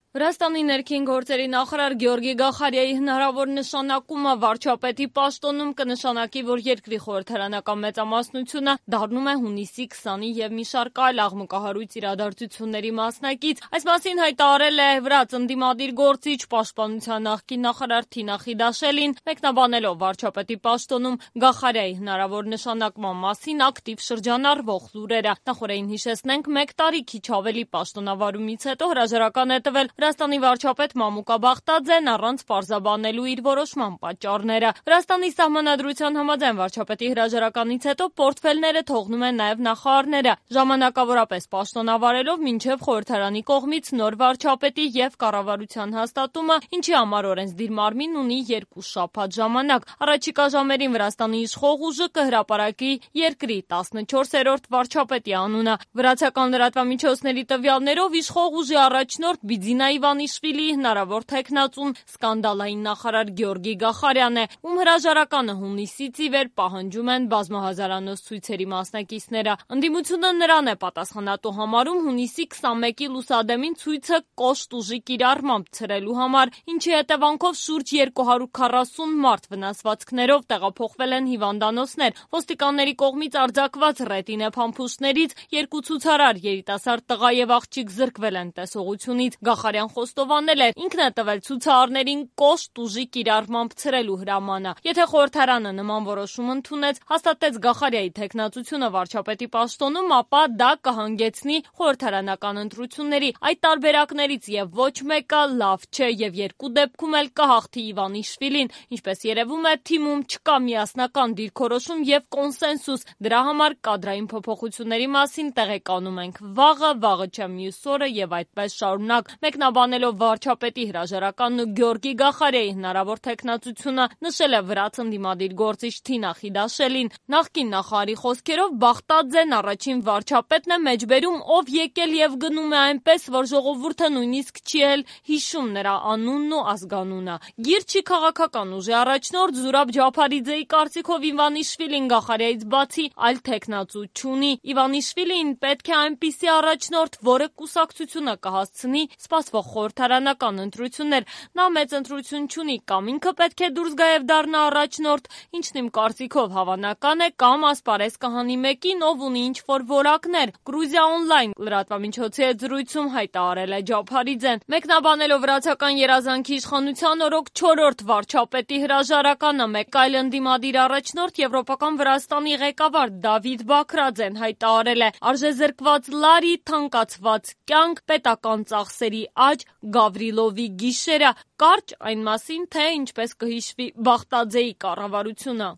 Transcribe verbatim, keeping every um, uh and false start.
Վրաստանի ներքին գործերի նախարար Գեորգի Գախարիայի հնարավոր նշանակումը վարչապետի պաշտոնում կնշանակի, որ երկրի խորհրդարանական մեծամասնությունը դառնում է հունիսի քսանի և մի շարք այլ աղմկահարույց իրադարձությունների մասնակից։ Այս մասին հայտարարել է վրաց ընդդիմադիր գործիչ պաշտպանության նախկին նախարար Թինա Խիդաշելին, մեկնաբանելով վարչապետի պաշտոնում Գախարիայի հնարավոր նշանակման մասին ակտիվ շրջանառվող լուրերը։ Նախորդին հիշեցնենք, մեկ տարի քիչ ավելի պաշտոնավարումից հետո հրաժարական է տվել Վրաստանի վարչապետ Մամուկա Բախտաձեն առանց պարզաբանելու իր որոշման պատճառները։ Վրաստանի սահմանադրության համաձայն վարչապետի հրաժարականից հետո պորտֆելները թողնում են նաև նախարարները, ժամանակավորապես պաշտոնավարելով մինչև խորհրդարանի կողմից նոր վարչապետի և կառավարության հաստատումը, ինչի համար օրենսդիր մարմինն ունի երկու շաբաթ ժամանակ։ Առաջիկա ժամերին Վրաստանի իշխող ուժը կհրապարակի երկրի տասնչորսերորդ վարչապետի անունը։ Վրացական լրատվամիջոցների տվյալներով իշխող ուժի առաջնորդ Բիձինա Իվանիշվիլիի հնարավոր թեկնածուն սկանդալային նախարար Գեորգի Գախարյանն է, ում հրաժարականը հունիսից ի վեր պահանջում են բազմահազարանոց ցույցերի մասնակիցները։ Ընդդիմությունը նրան է պատասխանատու համարում հունիսի քսանմեկի լուսադեմին ցույցը կոշտ ուժի կիրառմամբ ցրելու համար, ինչի հետևանքով շուրջ երկու հարյուր քառասուն մարդ վնասվածքներով տեղափոխվել են հիվանդանոցներ։ Ոստիկանների կողմից արձակված ռետինե փամփուշտներից երկու ցուցարար, երիտասարդ տղա և աղջիկ զրկվել են տեսողությունից։ Գախարյան խոստովանել էր, ինքն է տվել ցուցարարներին կոշտ ուժի կիրառմամբ ցրելու հրամանը։ Եթե խորհրդարանը նման որոշում ընդունեց, հաստատեց Գախարիայի թեկնածությունը վարչապետի պաշտոնում, ապա դա կհանգեցնի խորհրդարանական ընտրությունների։ Այդ տարբերակներից և ոչ մեկը լավ չէ և երկու դեպքում էլ կհաղթի Իվանիշվիլին։ Ինչպես երևում է, թիմում չկա միասնական դիրքորոշում և կոնսենսուս։ Դրա համար կադրային փոփոխությունների մասին տեղեկանում ենք վաղը, վաղը չէ մյուս օրը և այդպես շարունակ։ Մեկնաբանելով վարչապետի հրաժարականն ու Գեորգի Գախարիայի հնարավոր թեկնածությունը, նշել է վրաց ընդդիմադիր գործիչ Թինա Խիդաշելին։ Նախկին նախարարի խոսքերով Բախտաձեն առաջին վարչապետն է մեջբերում, ով եկել և գնում է այնպես, որ ժողովուրդը նույնիսկ չի էլ հիշում նրա անունն ու ազգանունը։ Գիրչի քաղաքական ուժի առաջնորդ Զուրաբ Ջափարիձեի կարծիքով Իվանիշվիլին Գախարիայից բացի այլ թեկնածու չունի։ Իվանիշվիլին պետք է այնպիսի առաջնորդ, որը կուսակցությունը կհասցնի սպասվող խորհրդարանական ընտրություններ։ Նա մեծ ընտրություն չունի, կամ ինքը պետք է դուրս գա և դառնա առաջնորդ, ինչն իմ կարծիքով հավանական է, կամ ասպարեզ կհանի մեկին, ով ունի ինչ-որ որակներ։ Գրուզիա օնլայն լրատվամիջոցի հետ զրույցում հայտարարել է Ջափարիձեն։ Մեկնաբանելով վրացական երազանքի իշխանության օրոք չորրորդ վարչապետի հրաժարականը, մեկ այլ ընդդիմադիր առաջնորդ եվրոպական Վրաստանի ղեկավար Դավիթ Բաքրաձեն հայտարարել է. «Արժեզրկված լարի, թանկացված կյանք, պետական ծախսերի աճ, Գավրիլովի գիշերը», կարճ այն մասին, թե ինչպես կհիշվի Բախտաձեի կառավարությունը։